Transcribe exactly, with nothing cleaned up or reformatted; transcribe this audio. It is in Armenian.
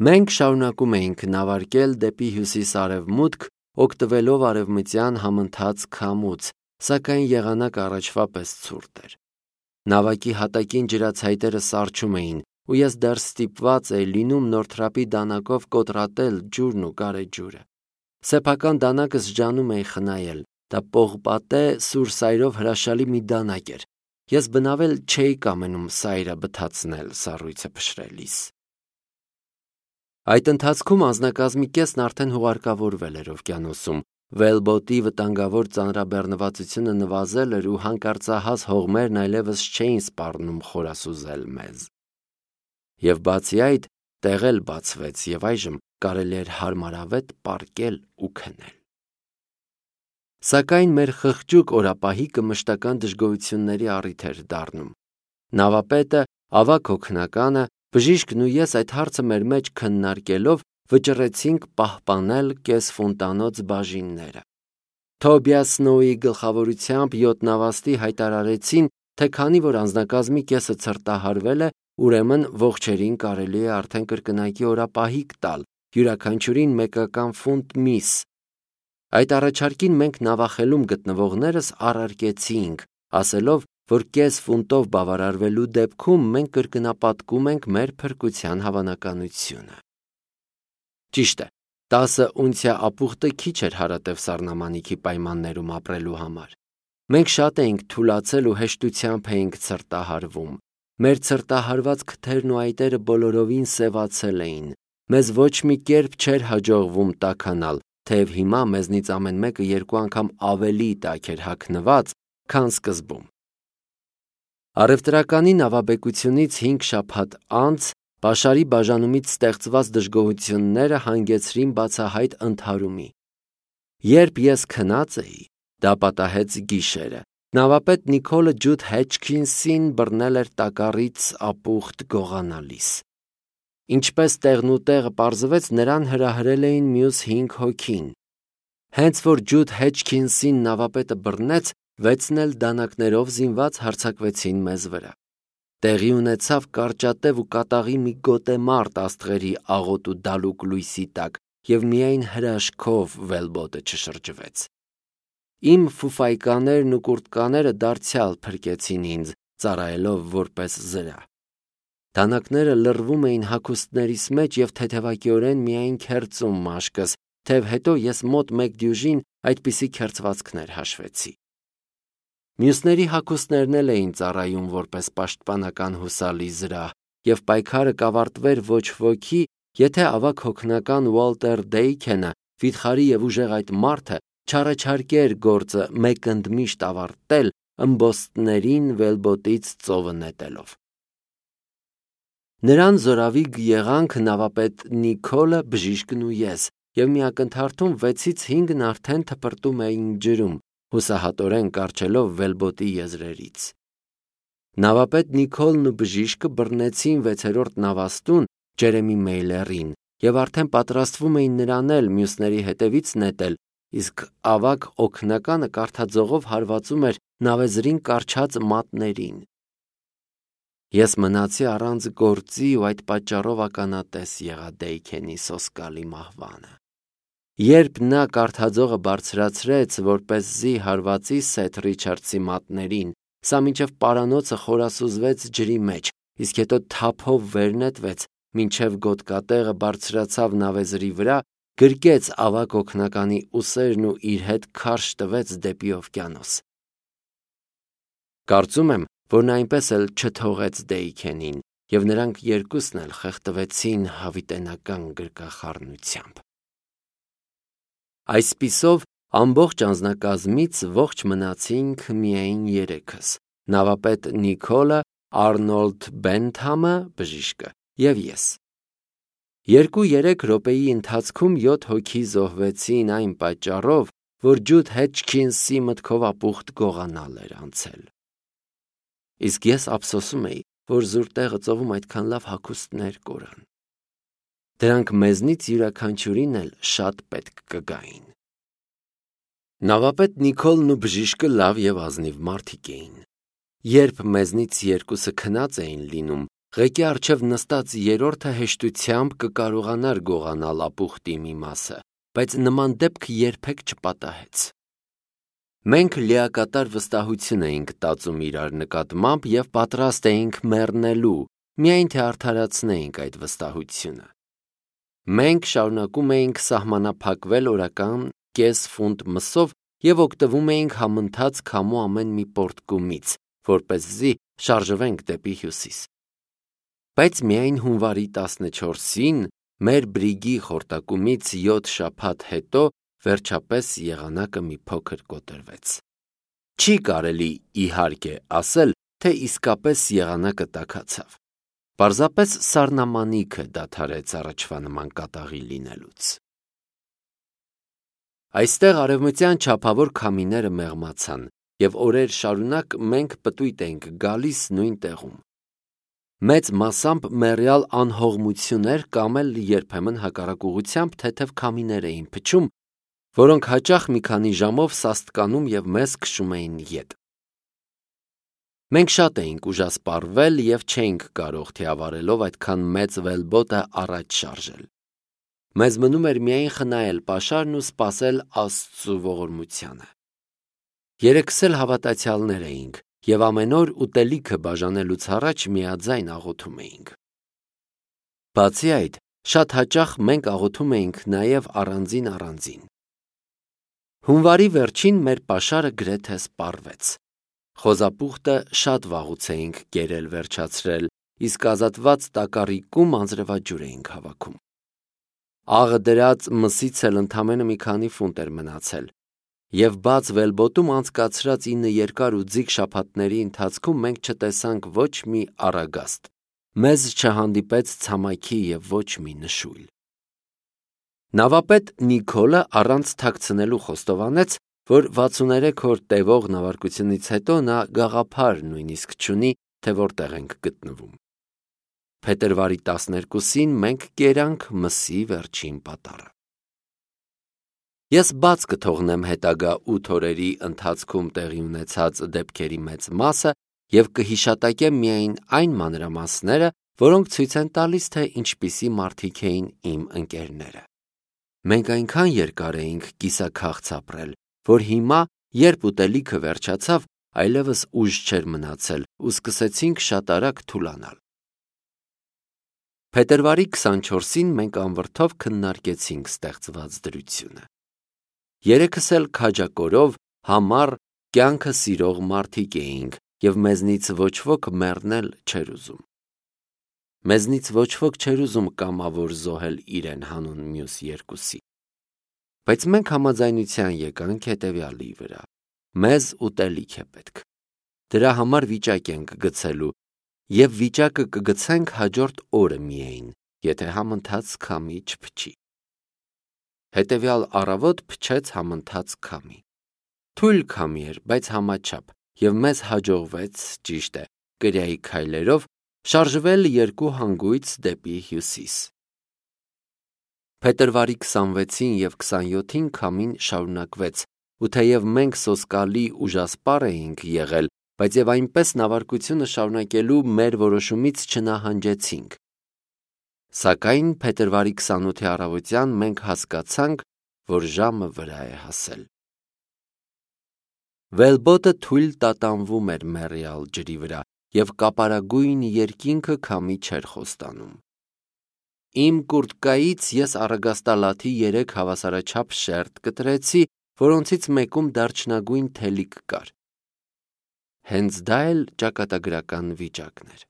Մենք շարունակում էինք նավարկել դեպի հյուսիս-արևմուտք, օգտվելով արևմտյան համընթաց քամուց, սակայն եղանակը առաջվա պես ցուրտ էր։ Նավակի հատակին ջրացայտերը սառչում էին, ու ես դեռ ստիպված էի լինում նորթրապի դանակով կոտրատել ջուրն ու գարեջուրը։ Սեփական դանակս ջանում էի խնայել, դա պողպատե սուր սայրով հրաշալի մի դանակ էր։ Ես բնավել չէի կամենում սայրը բթացնել սառույցը փշրելիս։ Այդ ընթացքում անձնակազմի կեսն արդեն հուղարկավորվել էր օվկիանոսում, վելբոտի վտանգավոր ծանրաբեռնվածությունը նվազել էր ու հանկարծահաս հողմերն այլևս չէին սպառնում խորասուզել մեզ։ Եվ բացի այդ, տեղ էլ բացվեց, եւ այժմ կարելի էր հարմարավետ պառկել ու քնել։ Սակայն մեր խղճուկ օրապահիկը մշտական դժգոհությունների առիթ էր դառնում։ Նավապետը, ավագ հոգնականը, բժիշկն ու ես այդ հարցը մեր մեջ քննարկելով վճռեցինք պահպանել կեսֆունտանոց բաժինները։ Թոբիաս Սնոուի գլխավորությամբ յոթ նավաստի հայտարարեցին, թե քանի որ անձնակազմի կեսը ցրտահարվել է, ուրեմն ողջերին կարելի է արդեն կրկնակի օրապահիկ տալ, յուրաքանչյուրին մեկական ֆունտ միս։ Այդ առաջարկին մենք նավախելում գտնվողներս առարկեցինք, ասելով, որ կես ֆունտով բավարարվելու դեպքում մենք կրկնապատկում ենք մեր փրկության հավանականությունը։ Ճիշտ է, տասը ունցիա ապուխտը քիչ էր հարատև սառնամանիքի պայմաններում ապրելու համար։ Մենք շատ էինք թուլացել ու հեշտությամբ էինք ցրտահարվում։ Մեր ցրտահարված քթերն ու այտերը բոլորովին սևացել էին։ Մեզ ոչ մի կերպ չէր հաջողվում տաքանալ, թեև հիմա մեզնից ամեն մեկը երկու անգամ ավելի տաք էր հագնված, քան սկզբում։ Առևտրականի նավաբեկությունից հինգ շաբաթ անց Պաշարի բաժանումից ստեղծված դժգոհությունները հանգեցրին բացահայտ ընդհարումի։ Երբ ես քնած էի, դա պատահեց գիշերը։ Նավապետ Նիկոլը Ջուդ Հեչքինսին բռնել էր տակառից ապուխտ գողանալիս։ Ինչպես տեղնուտեղը պարզվեց, նրան հրահրել էին մյուս հինգ հոգին։ Հենց որ Ջուդ Հեչքինսին նավապետը բռնեց, վեցն էլ դանակներով զինված հարձակվեցին մեզ վրա։ Տեղի ունեցավ կարճատև ու կատաղի մի գոտեմարտ աստղերի աղոտ ու դալուկ լույսի տակ, և միայն հրաշքով վելբոտը չշրջվեց։ Իմ ֆուֆայկաներն ու կուրտկաները դարձյալ փրկեցին ինձ, ծառայելով որպես զրա։ Դանակները լռվում էին հագուստներիս մեջ և թեթևակիորեն միայն քերծում մաշկս, թեև հետո ես մոտ մեկ դյուժին այդպիսի քերծվածքներ հաշվեցի։ Մյուսների հագուստներն էլ էին ծառայում որպես պաշտպանական հուսալի զրահ, և պայքարը կավարտվեր ոչ ոքի, եթե ավագ հոգնական Ուոլտեր Դեյքենը, վիթխարի և ուժեղ այդ մարդը, չառաջարկեր գործը մեկընդմիշտ ավարտել ըմբոստներին վելբոտից ծովը նետելով։ Նրան զորավիգ եղանք նավապետ Նիկոլը, բժիշկն ու ես, և մի ակնթարթում վեցից հինգն արդեն թպրտում էին ջրում, հուսահատորեն կառչելով վելբոտի եզրերից։ Նավապետ Նիկոլն ու բժիշկը բռնեցին վեցերորդ նավաստուն Ջերեմի Մեյլերին և արդեն պատրաստվում էին նրան էլ մյուսների հետևից նետել, իսկ ավագ օգնականը կարթաձողով հարվածում էր նավեզրին կառչած մատներին։ Ես մնացի առանց գործի ու այդ պատճառով ականատես եղա Դեյքենի սոսկալի մահվանը։ Երբ նա կարթաձողը բարձրացրեց, որպեսզի հարվածի Սեթ Ռիչարդսի մատներին, սա մինչև պարանոցը խորասուզվեց ջրի մեջ, իսկ հետո թափով վեր նետվեց, մինչև գոտկատեղը բարձրացավ նավեզրի վրա, գրկեց ավագ օգնականի ուսերն ու իր հետ քարշ տվեց դեպի օվկիանոս։ Կարծում եմ, որ նա այնպես էլ չթողեց Դեյքենին, և նրանք երկուսն էլ խեղդվեցին հավիտենական գրկախառնությամբ։ Այսպիսով, ամբողջ անձնակազմից ողջ մնացինք միայն երեքս՝ նավապետ Նիկոլը, Արնոլդ Բենթամը, բժիշկը և ես։ Երկու-երեք րոպեի ընթացքում յոթ հոգի զոհվեցին այն պատճառով, որ Ջուդ Հեչքինսի մտքով ապուխտ գողանալ էր անցել։ Իսկ ես ափսոսում էի, որ զուր տեղը ծովում այդքան լավ հագուստներ կորան։ Դրանք մեզնից յուրաքանչյուրին էլ շատ պետք կգային։ Նավապետ Նիկոլն ու բժիշկը լավ և ազնիվ մարդիկ էին։ Երբ մեզնից երկուսը քնած էին լինում, Ղեկի առջև նստած երրորդը հեշտությամբ կկարողանար գողանալ ապուխտի մի մասը, բայց նման դեպք երբեք չպատահեց։ Մենք լիակատար վստահություն էինք տածում իրար նկատմամբ և պատրաստ էինք մեռնելու, միայն թե արդարացնեինք այդ վստահությունը։ Մենք շարունակում էինք սահմանափակվել օրական կես ֆունտ մսով և օգտվում էինք համընթաց քամու ամեն մի պոռթկումից, որպեսզի շարժվենք դեպի հյուսիս։ Բայց միայն հունվարի տասնչորսին, մեր բրիգի խորտակումից յոթ շաբաթ հետո, վերջապես եղանակը մի փոքր կոտրվեց։ Չի կարելի, իհարկե, ասել, թե իսկապես եղանակը տաքացավ։ Պարզապես սառնամանիքը դադարեց առաջվա նման կատաղի լինելուց։ Այստեղ արևմտյան չափավոր քամիները մեղմացան, և օրեր շարունակ մենք պտույտ էինք գալիս նույն տեղում։ Մեծ մասամբ մեռյալ անհողմություններ կամ էլ երբեմն հակառակ ուղղությամբ թեթև քամիներ էին փչում, որոնք հաճախ մի քանի ժամով սաստկանում և մեզ քշում էին ետ։ Մենք շատ էինք ուժասպառվել և չէինք կարող թիավարելով այդքան մեծ վելբոտը առաջ շարժել։ Մեզ մնում էր միայն խնայել պաշարն ու սպասել Աստծու ողորմությանը։ Երեքս էլ հավատացյալներ էինք և ամեն օր ուտելիքը բաժանելուց առաջ միաձայն աղոթում էինք։ Բացի այդ, շատ հաճախ մենք աղոթում էինք նաև առանձին-առանձին։ Հունվարի վերջին մեր պաշարը գրեթե սպառվեց։ Խոզապուխտը շատ վաղուց էինք կերել վերջացրել, իսկ ազատված տակառիկում անձրևաջուր էինք հավաքում։ Աղը դրած մսից էլ ընդամենը մի քանի ֆունտ էր մնացել, և բաց վելբոտում անցկացրած ինը երկար ու ձիգ շաբաթների ընթացքում մենք չտեսանք ոչ մի առագաստ, մեզ չհանդիպեց ցամաքի և ոչ մի նշույլ։ Նավապետ Նիկոլը առանց թաքցնելու խոստովանեց, որ վաթսուներեք օր տևող նավարկությունից հետո նա գաղափար նույնիսկ չունի, թե որտեղ ենք գտնվում։ Փետրվարի տասներկուսին մենք կերանք մսի վերջին պատառը։ Ես բաց կթողնեմ հետագա ութ օրերի ընթացքում տեղի ունեցած դեպքերի մեծ մասը և կհիշատակեմ միայն այն մանրամասները, որոնք ցույց են տալիս, թե ինչպիսի մարդիկ էին իմ ընկերները։ Մենք այնքան երկար էինք կիսաքաղց ապրել, որ հիմա, երբ ուտելիքը վերջացավ, այլևս ուժ չէր մնացել ու սկսեցինք շատ արագ թուլանալ։ Փետրվարի քսանչորսին մենք անվրդով քննարկեցինք ստեղծված դրությունը։ Երեքս էլ քաջակորով, համառ, կյանքը սիրող մարդիկ էինք և մեզնից ոչ ոք մեռնել չէր ուզում։ Մեզնից ոչ ոք չէր ուզում կամավոր զոհել իրեն հանուն մյուս երկուսի։ Բայց մենք համաձայնության եկանք հետևյալի վրա. մեզ ուտելիք է պետք։ Դրա համար վիճակ ենք գցելու և վիճակը կգցենք հաջորդ օրը միայն, եթե համընթաց քամի չփչի։ Հետևյալ առավոտ փչեց համընթաց քամի։ Թույլ քամի էր, բայց համաչափ, և մեզ հաջողվեց, ճիշտ է, կրիայի քայլերով շարժվել երկու հանգույց դեպի հյուսիս։ Փետրվարի քսանվեցին և քսանյոթին քամին շարունակվեց, ու թեև մենք սոսկալի ուժասպառ էինք եղել, բայց և այնպես նավարկությունը շարունակելու մեր որոշումից չնահանջեցինք։ Սակայն փետրվարի քսանութի առավոտյան մենք հասկացանք, որ ժամը վրա է հասել։ Վելբոտը թույլ տատանվում էր մեռյալ ջրի վրա, և կապարագույն երկինքը քամի չէր խոստանում։ Իմ կուրտկայից ես առագաստալաթի երեք հավասարաչափ շերտ կտրեցի, որոնցից մեկում դարչնագույն թելիկ կար։ Հենց դա էլ ճակատագրական վիճակն էր։